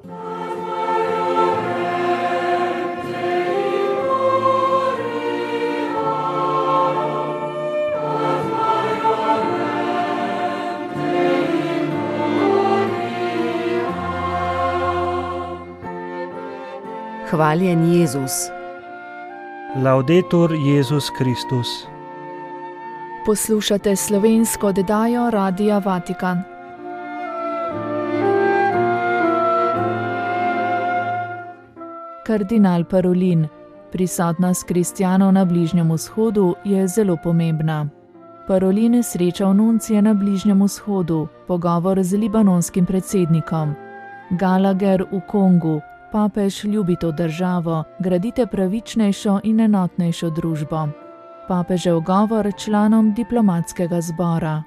Hvaljen Jezus. Laudetur Jezus Kristus. Poslušate slovensko oddajo Radia Vatikan. Kardinal Parolin. Prisotnost kristjanov na Bližnjem vzhodu je zelo pomembna. Parolin srečal nuncije na Bližnjem vzhodu, pogovor z libanonskim predsednikom. Gallagher v Kongu. Papež ljubi to državo, gradite pravičnejšo in enotnejšo družbo. Papežev govor članom diplomatskega zbora.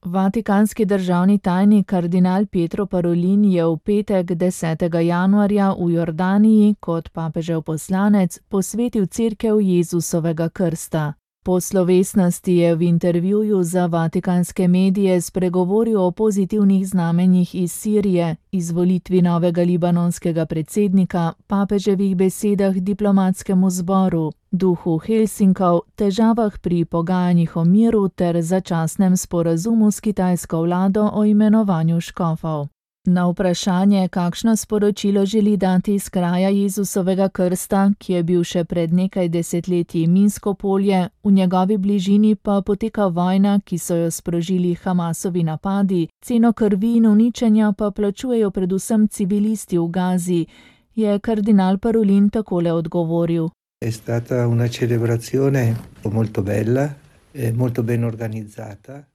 Vatikanski državni tajnik kardinal Pietro Parolin je v petek 10. januarja v Jordaniji kot papežev poslanec posvetil cerkev Jezusovega krsta. Po slovesnosti je v intervjuju za vatikanske medije spregovoril o pozitivnih znamenjih iz Sirije, izvolitvi novega libanonskega predsednika, papeževih besedah diplomatskemu zboru, duhu Helsinkov, težavah pri pogajanjih o miru ter začasnem sporazumu s kitajsko vlado o imenovanju škofov. Na vprašanje, kakšno sporočilo želi dati iz kraja Jezusovega krsta, ki je bil še pred nekaj desetletji minsko polje, v njegovi bližini pa poteka vojna, ki so jo sprožili Hamasovi napadi, ceno krvi in uničenja pa plačujejo predvsem civilisti v Gazi, je kardinal Parolin takole odgovoril. È stata una celebrazione molto bella.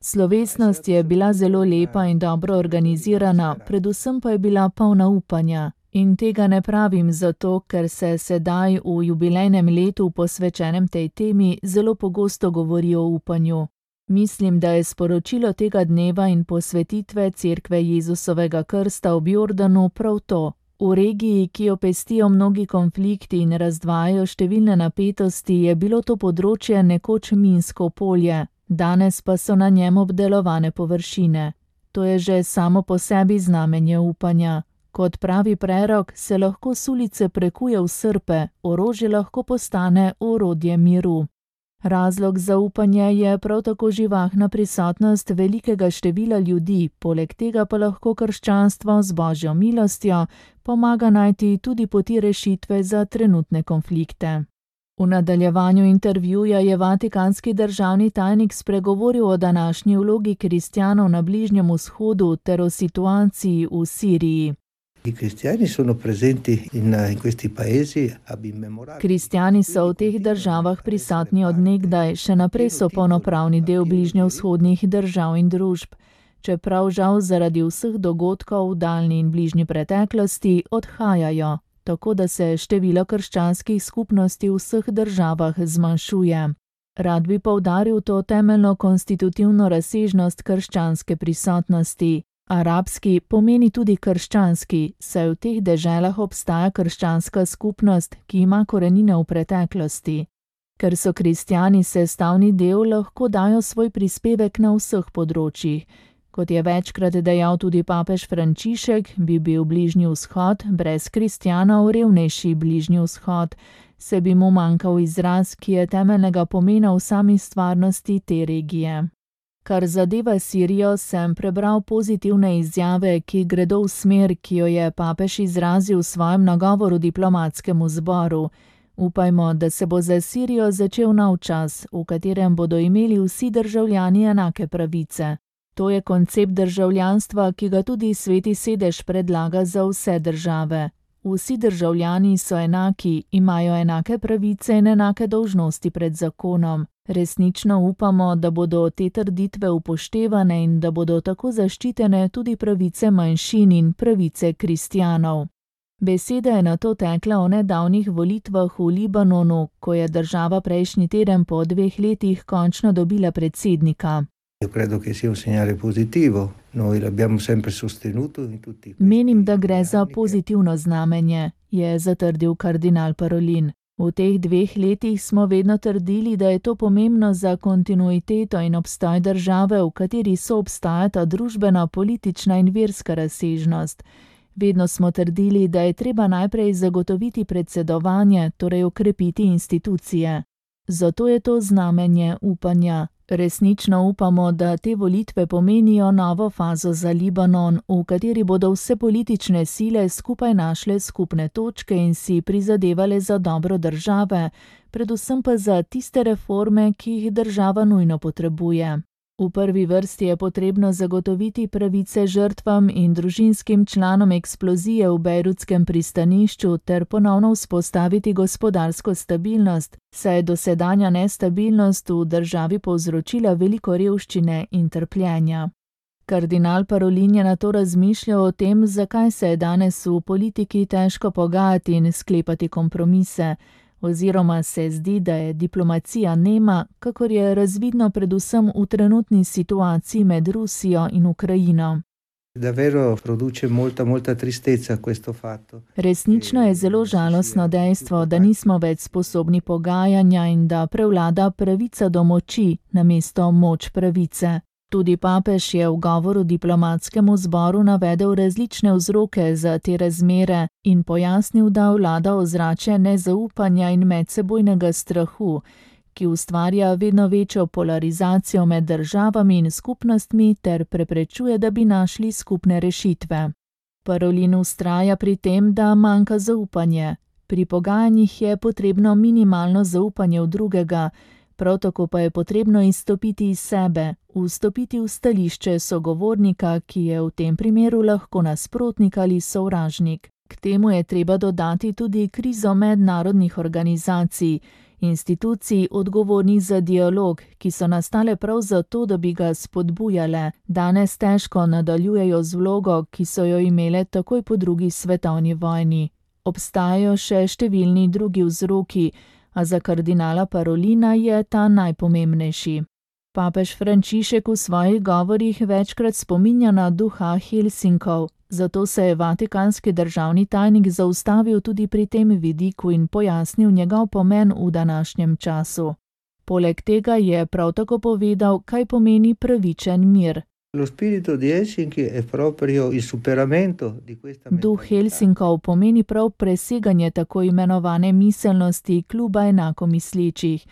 Slovesnost je bila zelo lepa in dobro organizirana, predvsem pa je bila polna upanja. In tega ne pravim zato, ker se sedaj v jubilejnem letu posvečenem tej temi zelo pogosto govori o upanju. Mislim, da je sporočilo tega dneva in posvetitve cerkve Jezusovega krsta ob Jordanu prav to. V regiji, ki jo pestijo mnogi konflikti in razdvajajo številne napetosti, je bilo to področje nekoč minsko polje, danes pa so na njem obdelovane površine. To je že samo po sebi znamenje upanja. Kot pravi prerok, se lahko s ulice prekuje v srpe, orožje lahko postane orodje miru. Razlog za upanje je prav tako živahna prisotnost velikega števila ljudi, poleg tega pa lahko krščanstvo z Božjo milostjo pomaga najti tudi poti rešitve za trenutne konflikte. V nadaljevanju intervjuja je vatikanski državni tajnik spregovoril o današnji vlogi kristjanov na Bližnjem vzhodu ter o situaciji v Siriji. Kristjani so v teh državah prisotni od nekdaj, še naprej so polnopravni del bližnjevzhodnih držav in družb. Čeprav žal zaradi vseh dogodkov v daljni in bližnji preteklosti odhajajo, tako da se število krščanskih skupnosti v vseh državah zmanjšuje. Rad bi poudaril to temeljno konstitutivno razsežnost krščanske prisotnosti. Arabski pomeni tudi krščanski, saj v teh deželah obstaja krščanska skupnost, ki ima korenine v preteklosti. Ker so kristjani sestavni del, lahko dajo svoj prispevek na vseh področjih. Kot je večkrat dejal tudi papež Frančišek, bi bil Bližnji vzhod brez kristjanov revnejši Bližnji vzhod, se bi mu manjkal izraz, ki je temeljnega pomena v sami stvarnosti te regije. Kar zadeva Sirijo, sem prebral pozitivne izjave, ki gredo v smer, ki jo je papež izrazil v svojem nagovoru diplomatskemu zboru. Upajmo, da se bo za Sirijo začel nov čas, v katerem bodo imeli vsi državljani enake pravice. To je koncept državljanstva, ki ga tudi Sveti sedež predlaga za vse države. Vsi državljani so enaki, imajo enake pravice in enake dolžnosti pred zakonom. Resnično upamo, da bodo te trditve upoštevane in da bodo tako zaščitene tudi pravice manjšin in pravice kristjanov. Beseda je nato tekla o nedavnih volitvah v Libanonu, ko je država prejšnji teden po 2 letih končno dobila predsednika. Menim, da gre za pozitivno znamenje, je zatrdil kardinal Parolin. V teh 2 letih smo vedno trdili, da je to pomembno za kontinuiteto in obstoj države, v kateri soobstajata družbena, politična in verska razsežnost. Vedno smo trdili, da je treba najprej zagotoviti predsedovanje, torej okrepiti institucije. Zato je to znamenje upanja. Resnično upamo, da te volitve pomenijo novo fazo za Libanon, v kateri bodo vse politične sile skupaj našle skupne točke in si prizadevale za dobro države, predvsem pa za tiste reforme, ki jih država nujno potrebuje. V prvi vrsti je potrebno zagotoviti pravice žrtvam in družinskim članom eksplozije v bejrutskem pristanišču ter ponovno vzpostaviti gospodarsko stabilnost, saj je dosedanja nestabilnost v državi povzročila veliko revščine in trpljenja. Kardinal Parolin je nato razmišljal o tem, zakaj se je danes v politiki težko pogajati in sklepati kompromise, oziroma se zdi, da je diplomacija nema, kakor je razvidno predvsem v trenutni situaciji med Rusijo in Ukrajino. Davvero produce molta tristezza questo fatto. Resnično je zelo žalostno dejstvo, da nismo več sposobni pogajanja in da prevlada pravica do moči namesto moč pravice. Tudi papež je v govoru diplomatskemu zboru navedel različne vzroke za te razmere in pojasnil, da vlada ozračje nezaupanja in medsebojnega strahu, ki ustvarja vedno večjo polarizacijo med državami in skupnostmi ter preprečuje, da bi našli skupne rešitve. Parolin vztraja pri tem, da manjka zaupanje. Pri pogajanjih je potrebno minimalno zaupanje v drugega, prav tako pa je potrebno izstopiti iz sebe, vstopiti v stališče sogovornika, ki je v tem primeru lahko nasprotnik ali sovražnik. K temu je treba dodati tudi krizo mednarodnih organizacij, institucij odgovornih za dialog, ki so nastale prav zato, da bi ga spodbujale. Danes težko nadaljujejo z vlogo, ki so jo imele takoj po drugi svetovni vojni. Obstajajo še številni drugi vzroki, a za kardinala Parolina je ta najpomembnejši. Papež Frančišek v svojih govorih večkrat spominja na duha Helsinkov, zato se je vatikanski državni tajnik zaustavil tudi pri tem vidiku in pojasnil njegov pomen v današnjem času. Poleg tega je prav tako povedal, kaj pomeni pravičen mir. Duh Helsinkov pomeni prav preseganje tako imenovane miselnosti kluba enakomislečih.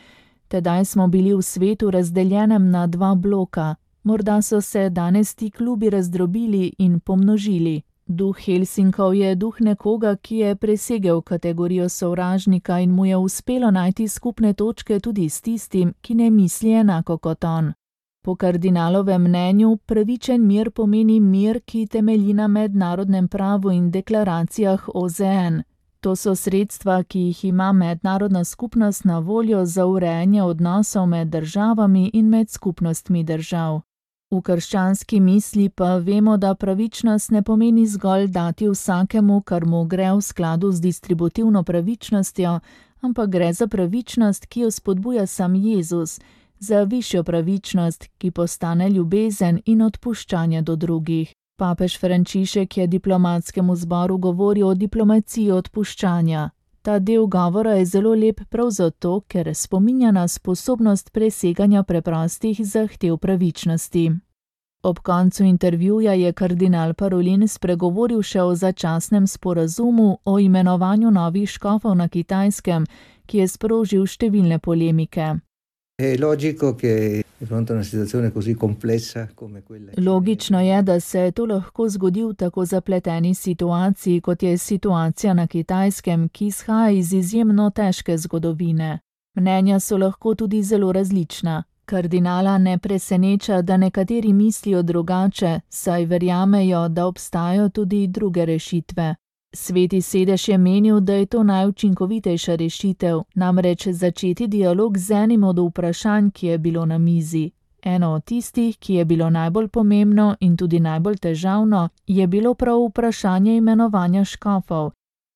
Tedaj smo bili v svetu razdeljenem na dva bloka. Morda so se danes ti klubi razdrobili in pomnožili. Duh Helsinkov je duh nekoga, ki je presegel kategorijo sovražnika in mu je uspelo najti skupne točke tudi s tistim, ki ne misli enako kot on. Po kardinalovem mnenju pravičen mir pomeni mir, ki temelji na mednarodnem pravu in deklaracijah OZN. To so sredstva, ki jih ima mednarodna skupnost na voljo za urejanje odnosov med državami in med skupnostmi držav. V krščanski misli pa vemo, da pravičnost ne pomeni zgolj dati vsakemu, kar mu gre v skladu z distributivno pravičnostjo, ampak gre za pravičnost, ki jo spodbuja sam Jezus, za višjo pravičnost, ki postane ljubezen in odpuščanje do drugih. Papež Frančišek je diplomatskemu zboru govoril o diplomaciji odpuščanja. Ta del govora je zelo lep prav zato, ker spominja na sposobnost preseganja preprostih zahtev pravičnosti. Ob koncu intervjuja je kardinal Parolin spregovoril še o začasnem sporazumu o imenovanju novih škofov na Kitajskem, ki je sprožil številne polemike. Logično je, da se to lahko zgodi v tako zapleteni situaciji, kot je situacija na Kitajskem, ki izhaja iz izjemno težke zgodovine. Mnenja so lahko tudi zelo različna. Kardinala ne preseneča, da nekateri mislijo drugače, saj verjamejo, da obstajajo tudi druge rešitve. Sveti sedež je menil, da je to najučinkovitejša rešitev, namreč začeti dialog z enim od vprašanj, ki je bilo na mizi. Eno od tistih, ki je bilo najbolj pomembno in tudi najbolj težavno, je bilo prav vprašanje imenovanja škofov.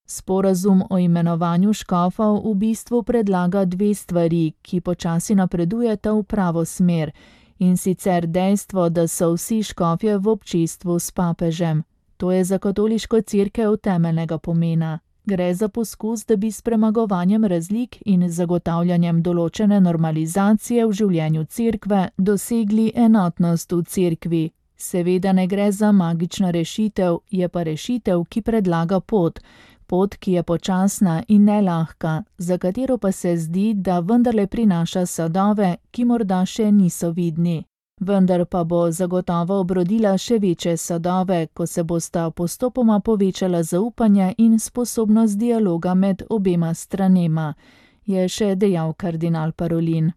Sporazum o imenovanju škofov v bistvu predlaga dve stvari, ki počasi napredujeta v pravo smer, in sicer dejstvo, da so vsi škofje v občestvu s papežem. To je za katoliško cerkev temeljnega pomena. Gre za poskus, da bi s premagovanjem razlik in zagotavljanjem določene normalizacije v življenju cerkve dosegli enotnost v cerkvi. Seveda ne gre za magično rešitev, je pa rešitev, ki predlaga pot, ki je počasna in nelahka, za katero pa se zdi, da vendarle prinaša sadove, ki morda še niso vidni. Vendar pa bo zagotovo obrodila še večje sadove, ko se bosta postopoma povečala zaupanje in sposobnost dialoga med obema stranema, je še dejal kardinal Parolin.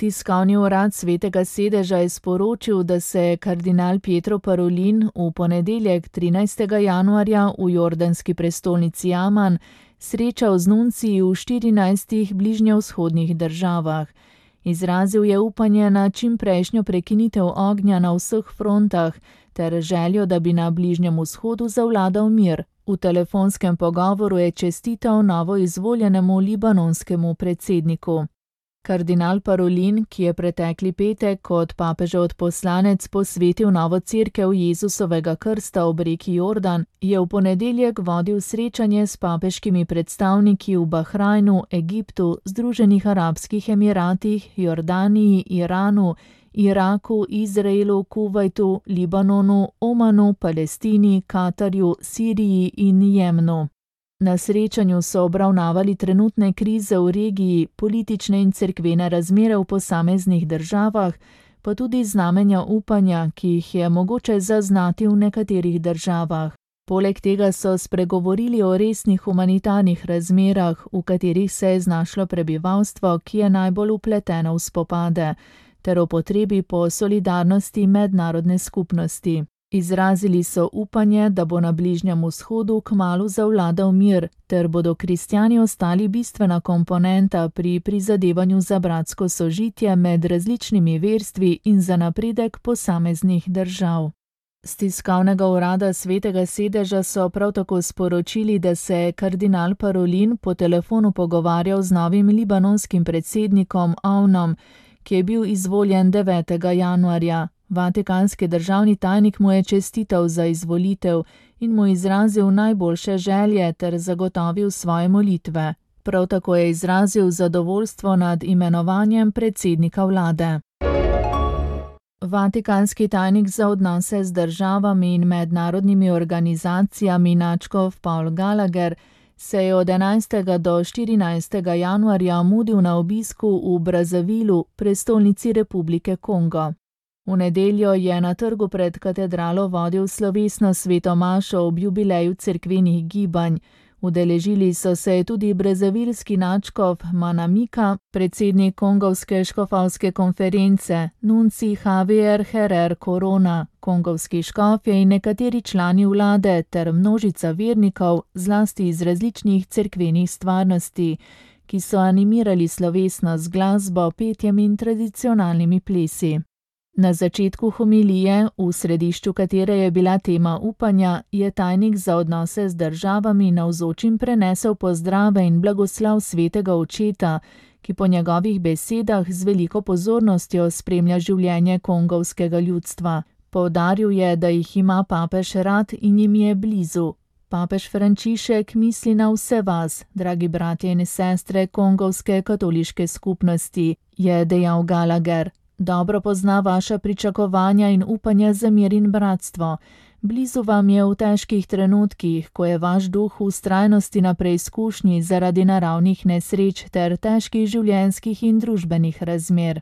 Tiskovni urad Svetega sedeža je sporočil, da se je kardinal Pietro Parolin v ponedeljek 13. januarja v jordanski prestolnici Aman srečal z nunciji v 14 bližnjevzhodnih državah. Izrazil je upanje na čimprejšnjo prekinitev ognja na vseh frontah ter željo, da bi na Bližnjem vzhodu zavladal mir. V telefonskem pogovoru je čestital novoizvoljenemu libanonskemu predsedniku. Kardinal Parolin, ki je pretekli petek kot papežev odposlanec posvetil novo cerkev Jezusovega krsta ob reki Jordan, je v ponedeljek vodil srečanje s papeškimi predstavniki v Bahrajnu, Egiptu, Združenih arabskih emiratih, Jordaniji, Iranu, Iraku, Izraelu, Kuvajtu, Libanonu, Omanu, Palestini, Katarju, Siriji in Jemnu. Na srečanju so obravnavali trenutne krize v regiji, politične in cerkvene razmere v posameznih državah, pa tudi znamenja upanja, ki jih je mogoče zaznati v nekaterih državah. Poleg tega so spregovorili o resnih humanitarnih razmerah, v katerih se je znašlo prebivalstvo, ki je najbolj vpleteno v spopade, ter o potrebi po solidarnosti mednarodne skupnosti. Izrazili so upanje, da bo na Bližnjem vzhodu kmalu zavladal mir, ter bodo kristjani ostali bistvena komponenta pri prizadevanju za bratsko sožitje med različnimi verstvi in za napredek posameznih držav. S tiskovnega urada Svetega sedeža so prav tako sporočili, da se je kardinal Parolin po telefonu pogovarjal z novim libanonskim predsednikom Avnom, ki je bil izvoljen 9. januarja. Vatikanski državni tajnik mu je čestital za izvolitev in mu izrazil najboljše želje ter zagotovil svoje molitve. Prav tako je izrazil zadovoljstvo nad imenovanjem predsednika vlade. Vatikanski tajnik za odnose z državami in mednarodnimi organizacijami nadškof Paul Gallagher se je od 11. do 14. januarja mudil na obisku v Brazzavilu, prestolnici Republike Kongo. V nedeljo je na trgu pred katedralo vodil slovesno sveto mašo ob jubileju cerkvenih gibanj. Udeležili so se tudi brazzavilski nadškof Manamika, predsednik kongovske škofovske konference, nunci Javier Herrera Corona, kongovski škofje in nekateri člani vlade ter množica vernikov, zlasti iz različnih cerkvenih stvarnosti, ki so animirali slovesnost z glasbo, petjem in tradicionalnimi plesi. Na začetku homilije, v središču katere je bila tema upanja, je tajnik za odnose z državami navzočim prenesel pozdrave in blagoslav svetega očeta, ki po njegovih besedah z veliko pozornostjo spremlja življenje kongovskega ljudstva. Poudaril je, da jih ima papež rad in jim je blizu. Papež Frančišek misli na vse vas, dragi bratje in sestre kongovske katoliške skupnosti, je dejal Gallagher. Dobro pozna vaša pričakovanja in upanja za mir in bratstvo. Blizu vam je v težkih trenutkih, ko je vaš duh v vztrajnosti na preizkušnji zaradi naravnih nesreč ter težkih življenjskih in družbenih razmer.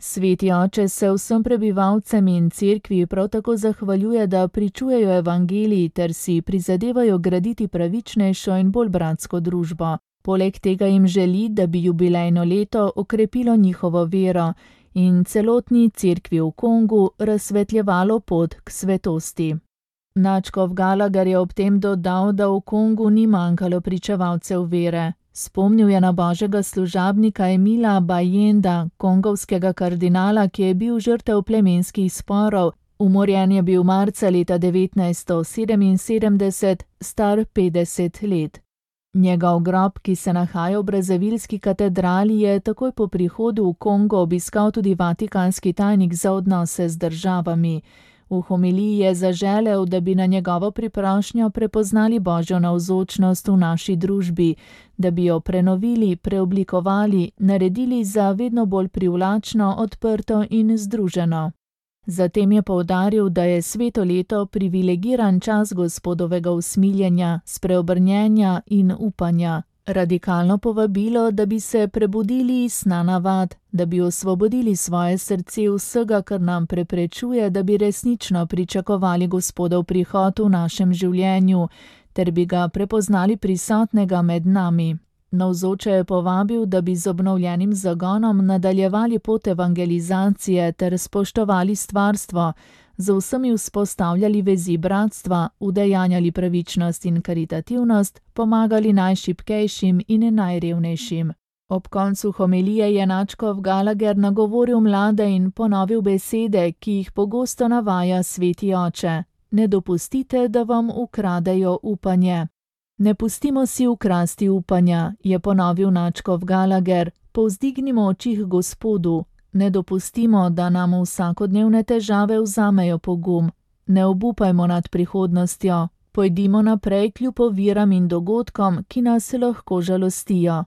Sveti oče se vsem prebivalcem in cerkvi prav tako zahvaljuje, da pričujejo evangelij ter si prizadevajo graditi pravičnejšo in bolj bratsko družbo. Poleg tega jim želi, da bi jubilejno leto okrepilo njihovo vero in celotni cerkvi v Kongu razsvetljevalo pot k svetosti. Nadškof Gallagher je ob tem dodal, da v Kongu ni manjkalo pričevalcev vere. Spomnil je na božjega služabnika Emila Bayenda, kongovskega kardinala, ki je bil žrtev plemenskih sporov. Umorjen je bil marca leta 1977, star 50 let. Njegov grob, ki se nahaja v brazzavilski katedrali, je takoj po prihodu v Kongo obiskal tudi vatikanski tajnik za odnose z državami. V homiliji je zaželel, da bi na njegovo priprošnjo prepoznali božjo navzočnost v naši družbi, da bi jo prenovili, preoblikovali, naredili za vedno bolj privlačno, odprto in združeno. Zatem je poudaril, da je sveto leto privilegiran čas Gospodovega usmiljenja, spreobrnjenja in upanja. Radikalno povabilo, da bi se prebudili iz sna navad, da bi osvobodili svoje srce vsega, kar nam preprečuje, da bi resnično pričakovali Gospodov prihod v našem življenju, ter bi ga prepoznali prisotnega med nami. Navzoče je povabil, da bi z obnovljenim zagonom nadaljevali pot evangelizacije ter spoštovali stvarstvo, z vsemi vzpostavljali vezi bratstva, udejanjali pravičnost in karitativnost, pomagali najšibkejšim in najrevnejšim. Ob koncu homilije je nadškof Gallagher nagovoril mlade in ponovil besede, ki jih pogosto navaja sveti oče. Ne dopustite, da vam ukradejo upanje. Ne pustimo si ukrasti upanja, je ponovil nadškof Gallagher, povzdignimo oči k Gospodu. Ne dopustimo, da nam vsakodnevne težave vzamejo pogum. Ne obupajmo nad prihodnostjo, pojdimo naprej kljub oviram in dogodkom, ki nas lahko žalostijo.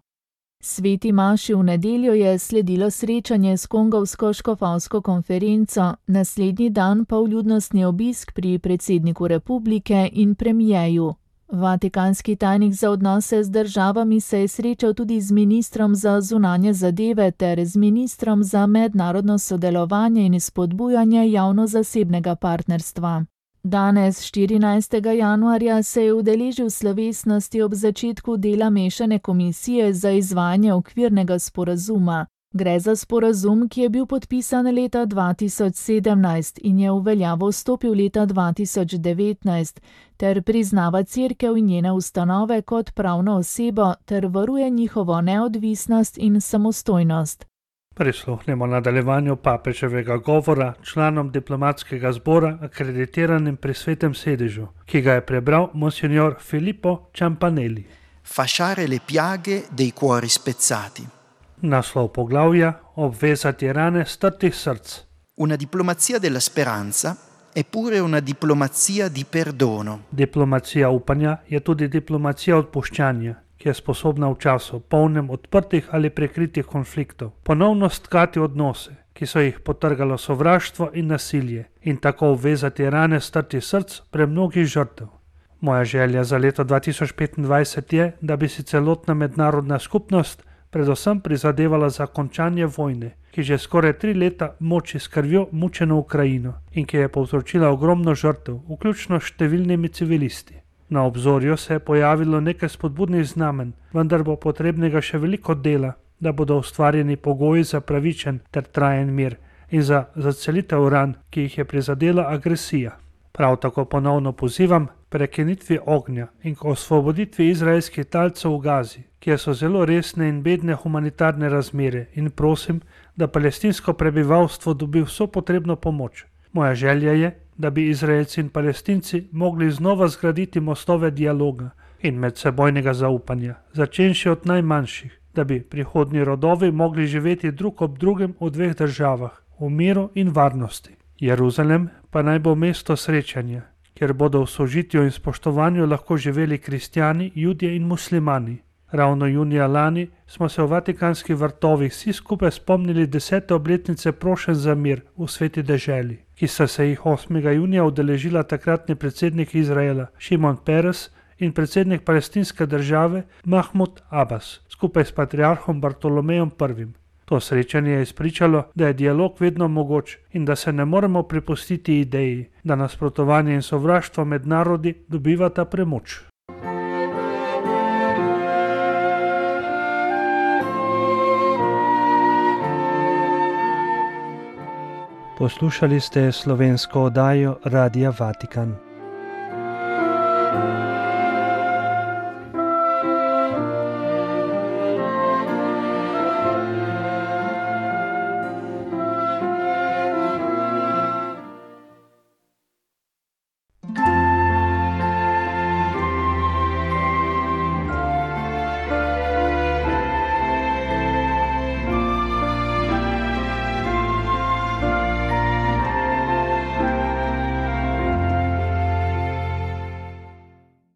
Sveti maši v nedeljo je sledilo srečanje s kongovsko škofovsko konferenco, naslednji dan pa vljudnostni obisk pri predsedniku republike in premijeju. Vatikanski tajnik za odnose z državami se je srečal tudi z ministrom za zunanje zadeve ter z ministrom za mednarodno sodelovanje in spodbujanje javno-zasebnega partnerstva. Danes, 14. januarja, se je udeležil slovesnosti ob začetku dela mešane komisije za izvajanje okvirnega sporazuma. Gre za sporazum, ki je bil podpisan leta 2017 in je v veljavo stopil leta 2019, ter priznava Cerkev in njene ustanove kot pravno osebo ter varuje njihovo neodvisnost in samostojnost. Prisluhnemo nadaljevanju papeževega govora članom diplomatskega zbora akreditiranim pri Svetem sedežu, ki ga je prebral monsignor Filippo Ciampanelli. Fasciare le piaghe dei cuori spezzati. Naslov poglavja: obvezati rane strtih src. Una diplomazia della speranza è pure una diplomazia di perdono. Diplomacija upanja je tudi diplomacija odpuščanja, ki je sposobna v času polnem odprtih ali prekritih konfliktov ponovno stkati odnose, ki so jih potrgalo sovraštvo in nasilje, in tako obvezati rane strtih src premnogih žrtev. Moja želja za leto 2025 je, da bi si celotna mednarodna skupnost predvsem prizadevala za končanje vojne, ki že skoraj 3 leta moči s krvjo mučeno Ukrajino in ki je povzročila ogromno žrtev, vključno s številnimi civilisti. Na obzorju se je pojavilo nekaj spodbudnih znamen, vendar bo potrebnega še veliko dela, da bodo ustvarjeni pogoji za pravičen ter trajen mir in za zacelitev ran, ki jih je prizadela agresija. Prav tako ponovno pozivam prekinitvi ognja in k osvoboditvi izraelskih talcev v Gazi, kjer so zelo resne in bedne humanitarne razmere, in prosim, da palestinsko prebivalstvo dobi vso potrebno pomoč. Moja želja je, da bi Izraelci in Palestinci mogli znova zgraditi mostove dialoga in medsebojnega zaupanja, začenši od najmanjših, da bi prihodnji rodovi mogli živeti drug ob drugem v 2 državah, v miru in varnosti. Jeruzalem pa naj bo mesto srečanja, kjer bodo v sožitju in spoštovanju lahko živeli kristjani, judje in muslimani. Ravno junija lani smo se v Vatikanskih vrtovih vsi skupaj spomnili 10. obletnice prošenj za mir v sveti deželi, ki sta se jih 8. junija udeležila takratni predsednik Izraela Šimon Peres in predsednik palestinske države Mahmud Abbas, skupaj s patriarhom Bartolomejem I. To srečanje je izpričalo, da je dialog vedno mogoč in da se ne moremo prepustiti ideji, da nasprotovanje in sovraštvo med narodi dobivata premoč. Poslušali ste slovensko oddajo Radia Vatikan.